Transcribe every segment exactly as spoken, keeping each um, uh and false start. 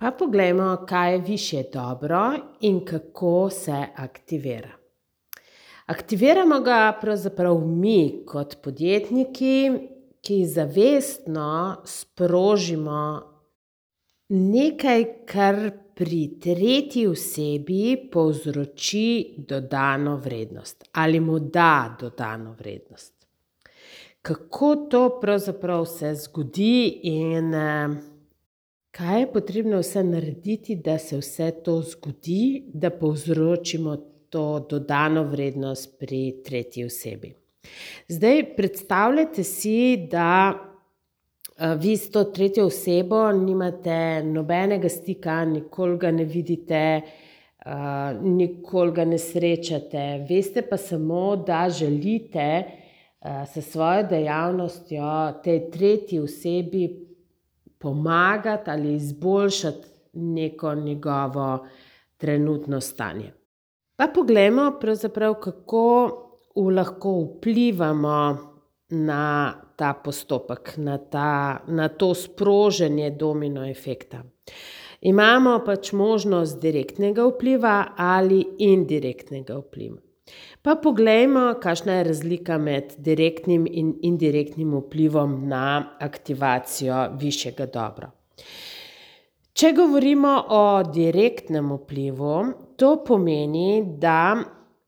Pa poglejmo, kaj je višje dobro in kako se aktivira. Aktiviramo ga pravzaprav mi kot podjetniki, ki zavestno sprožimo nekaj, kar pri tretji osebi povzroči dodano vrednost ali mu da dodano vrednost. Kako to pravzaprav se zgodi in kaj je potrebno vse narediti, da se vse to zgodi, da povzročimo to dodano vrednost pri tretji osebi. Zdaj, predstavljajte si, da vi s to tretjo osebo nimate nobenega stika, nikoli ga ne vidite, nikoli ga ne srečate. Veste pa samo, da želite s svojo dejavnostjo tej tretji osebi pomagati ali izboljšati neko njegovo trenutno stanje. Pa poglejmo pravzaprav, kako lahko vplivamo na ta postopek, na ta, na to sproženje domino efekta. Imamo pač možnost direktnega vpliva ali indirektnega vpliva. Pa poglejmo, kakšna je razlika med direktnim in indirektnim vplivom na aktivacijo višjega dobra. Če govorimo o direktnem vplivu, to pomeni, da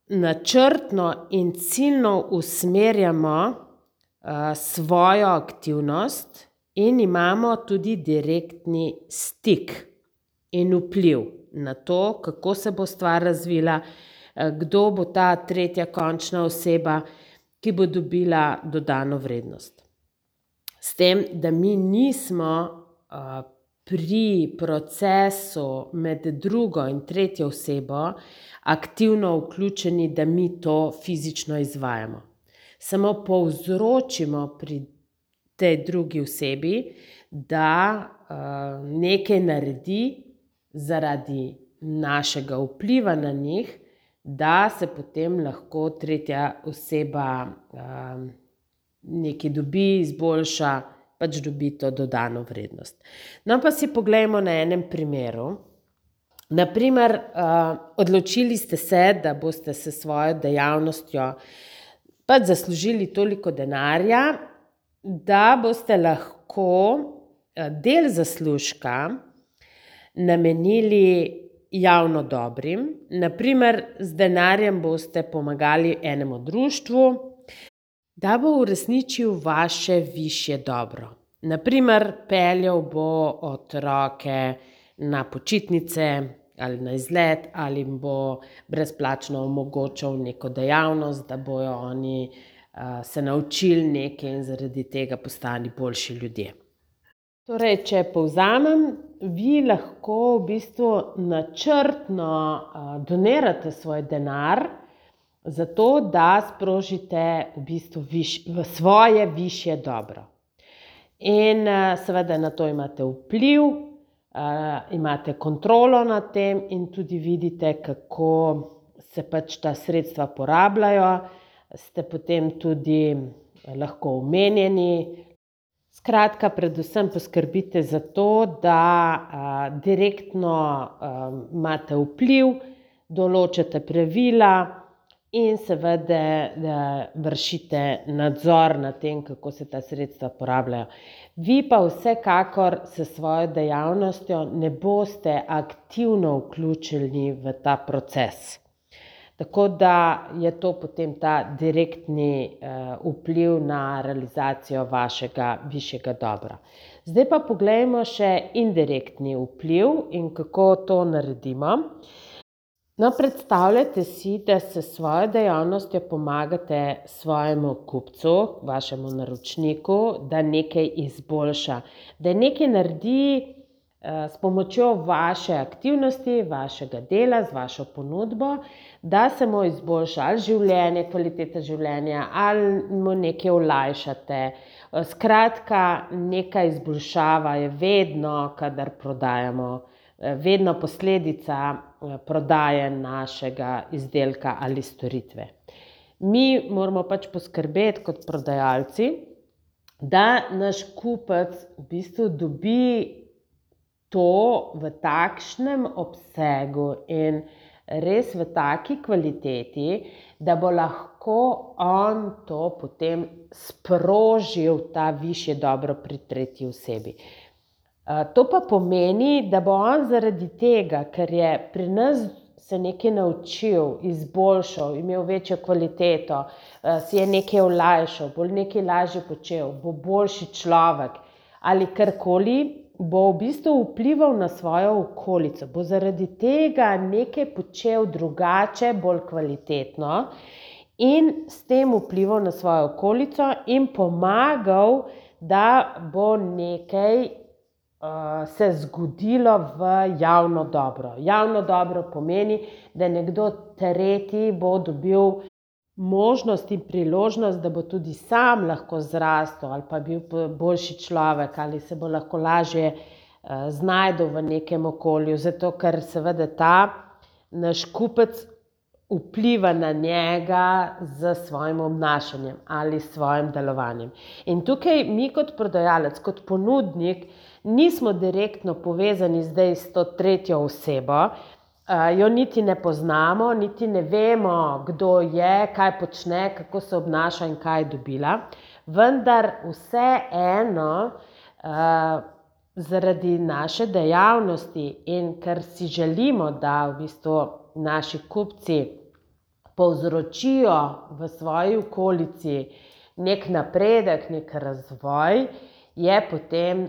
načrtno in ciljno usmerjamo svojo aktivnost in imamo tudi direktni stik in vpliv na to, kako se bo stvar razvila, kdo bo ta tretja končna oseba, ki bo dobila dodano vrednost. S tem, da mi nismo pri procesu med drugo in tretjo osebo aktivno vključeni, da mi to fizično izvajamo. Samo povzročimo pri tej drugi osebi, da nekaj naredi zaradi našega vpliva na njih, da se potem lahko tretja oseba nekaj dobi, izboljša, pač dobi to dodano vrednost. No, pa si poglejmo na enem primeru. Na primer, odločili ste se, da boste s svojo dejavnostjo pač zaslužili toliko denarja, da boste lahko del zaslužka namenili javno dobrim. Na primer, z denarjem boste pomagali enemu društvu, da bo uresničil vaše višje dobro. Na primer, peljal bo otroke na počitnice ali na izlet ali jim bo brezplačno omogočal neko dejavnost, da bojo oni se naučili nekaj in zaradi tega postali boljši ljudje. Torej, če povzamem, vi lahko v bistvu načrtno donirate svoj denar zato, da sprožite v bistvu v svoje višje dobro. In seveda na to imate vpliv, imate kontrolo nad tem in tudi vidite, kako se pač ta sredstva porabljajo, ste potem tudi lahko omenjeni. Skratka, predvsem poskrbite za to, da direktno imate vpliv, določate pravila in seveda vršite nadzor nad tem, kako se ta sredstva porabljajo. Vi pa vsekakor s svojo dejavnostjo ne boste aktivno vključeni v ta proces. Tako da je to potem ta direktni vpliv na realizacijo vašega višjega dobra. Zdaj pa poglejmo še indirektni vpliv in kako to naredimo. No, predstavljajte si, da s svojo dejavnostjo pomagate svojemu kupcu, vašemu naročniku, da nekaj izboljša, da nekaj naredi s pomočjo vaše aktivnosti, vašega dela, z vašo ponudbo, da se mu izboljša ali življenje, kvaliteta življenja, ali mu nekaj olajšate. Skratka, neka izboljšava je vedno, kadar prodajamo, vedno posledica prodaje našega izdelka ali storitve. Mi moramo pač poskrbeti kot prodajalci, da naš kupec v bistvu dobi to v takšnem obsegu in res v taki kvaliteti, da bo lahko on to potem sprožil, ta višje dobro pri tretji osebi. To pa pomeni, da bo on zaradi tega, ker je pri nas se nekaj naučil, izboljšal, imel večjo kvaliteto, si je nekaj olajšal, bo nekaj lažje počel, bo boljši človek ali karkoli, bo v bistvu vplival na svojo okolico, bo zaradi tega nekaj počel drugače, bolj kvalitetno in s tem vplival na svojo okolico in pomagal, da bo nekaj uh, se zgodilo v javno dobro. Javno dobro pomeni, da nekdo tretji bo dobil možnost in priložnost, da bo tudi sam lahko zrastel ali pa bil boljši človek ali se bo lahko lažje uh, znajdel v nekem okolju, zato ker seveda ta naš kupec vpliva na njega z svojim obnašanjem ali svojim delovanjem. In tukaj mi kot prodajalec, kot ponudnik, nismo direktno povezani zdaj s to tretjo osebo, jo niti ne poznamo, niti ne vemo, kdo je, kaj počne, kako se obnaša in kaj je dobila, vendar vseeno zaradi naše dejavnosti in ker si želimo, da v bistvu naši kupci povzročijo v svoji okolici nek napredek, nek razvoj, je potem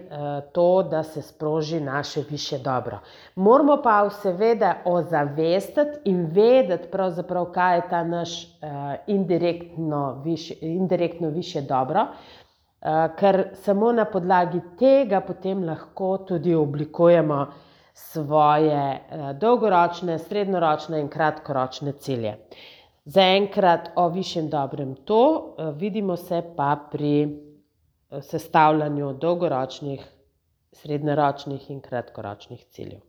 to, da se sproži naše višje dobro. Moramo pa seveda ozavestiti in vedeti pravzaprav, kaj je ta naš indirektno višje, indirektno višje dobro, ker samo na podlagi tega potem lahko tudi oblikujemo svoje dolgoročne, srednjeročne in kratkoročne cilje. Zaenkrat o višjem dobrem to, vidimo se pa pri sestavljanju dolgoročnih, srednjeročnih in kratkoročnih ciljev.